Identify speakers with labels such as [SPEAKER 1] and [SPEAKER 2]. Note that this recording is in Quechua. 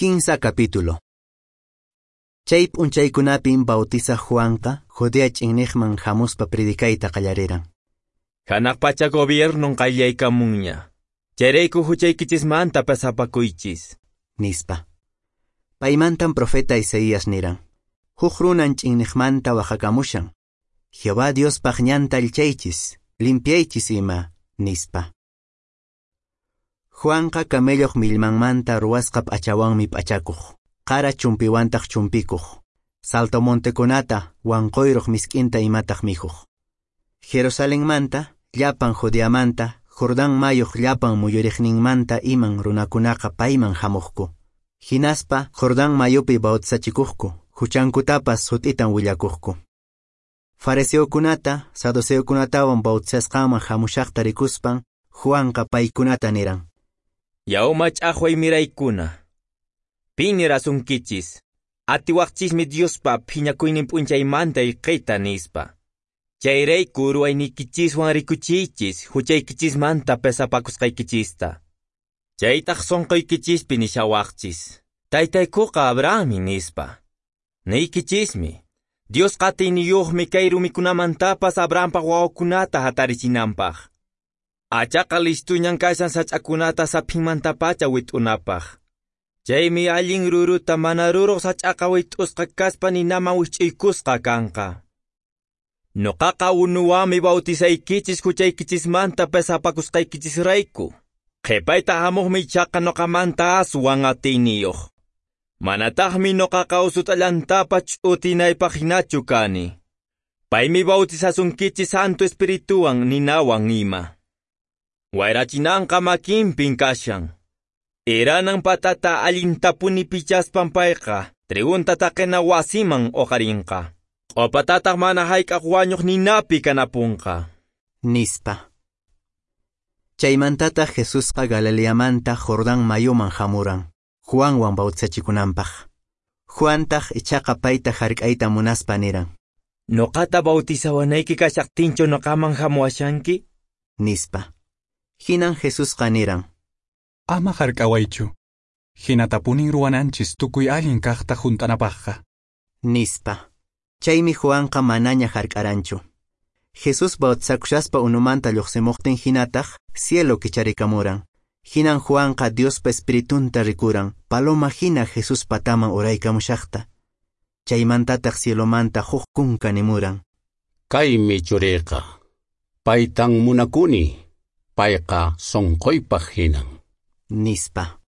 [SPEAKER 1] Kinsa capítulo. Chay p'unchaykunapin bautizaq Juanqa Judea ch'inniqman hamuspa predicayta qallariran.
[SPEAKER 2] Hanaq pacha gobiernon qayllaykamunña. Chayrayku huchaykichismanta pasapakuychis,
[SPEAKER 1] nispa. Paymantan profeta Isaías niran: Huk runan ch'inniqmanta waqakamushan. Jehová Diospaq ñanta allchaychis, limpiaychis ima, nispa. Juanqa camelloq millmanmanta ruwasqa p'achawanmi p'achakuq, qara chumpiwantaq chumpikuq, saltamontekunata wanquyruq misk'inta imataq mikhuq. Jerusalenmanta, llapan Judeamanta, Jordán mayuq llapan muyuriqninmanta iman runakunaqa payman hamuqku. Hinaspa Jordán mayupi bautizachikuqku, huchankutapas sut'itan willakuqku. Fariseokunata, saduceokunatawan bautizasqanman hamushaqta rikuspan, Juanqa paykunata niran:
[SPEAKER 2] Yaw mach'aqway miraykuna, pin nirasunkichis, atiwaqchismi Diospa phiñakuynin p'unchaymanta ayqiyta nispa. Chayrayku ruwayniykichiswan rikuchiychis huchaykichismanta pesapakusqaykichista. Chaytaq sunquykichispi nishawaqchis, taytaykuqa Abrahammi nispa. Niykichismi, Diosqa atiyniyuqmi kay rumikunamantapas Abrahampaq wawakunata hatarichinanpaq. Achaqa listuñan kashan sach'akunata saphinmantapacha wit'unapaq. Chaymi allin ruruta mana ruruq sach'aqa wit'usqa kaspa ninaman wich'uykusqa kanqa. Nuqaqa unuwanmi bautizaykichis huchaykichismanta pesapakusqaykichisrayku. Qhipayta hamuqmi ichaqa nuqamanta aswan atiyniyuq. Manataqmi nuqaqa usut'allantapas ch'utinaypaq hinachu kani. Paymi bautizasunkichis Santo Espirituwan ninawan ima. Wayrachinanqa makinpin kashan. Iranan patata allintapuni pichaspan payqa, trigunta taqina wasiman uqarinqa. Q'upatataq mana hayk'aq wañuq ninapi kanapunqa,
[SPEAKER 1] nispa. Chaymantataq Jesusqa Galileamanta Jordán mayuman hamuran, Juanwan bautizachikunanpaq. Juantaq ichaqa payta hark'ayta munaspa niran:
[SPEAKER 2] Nuqata bautizawanayki kashaqtinchu nuqaman hamuwashanki,
[SPEAKER 1] nispa. Hinan Jesusqa niran:
[SPEAKER 3] Ama hark'awaychu, hinatapunin ruwananchis tukuy allin kaqta hunt'anapaqqa,
[SPEAKER 1] nispa. Chaymi Juanqa manaña hark'aranchu. Jesús bautizakushaspa unumanta lluqsimuqtin hinataq cielo kicharikamuran. Hinan Juanqa Diospa Espiritunta rikuran, paloma hina Jesús pataman uraykamushaqta. Chaymantataq cielomanta huk kunka nimuran:
[SPEAKER 4] Kaymi churiyqa, paytan munakuni, payqa sunquypaq hinan,
[SPEAKER 1] nispa.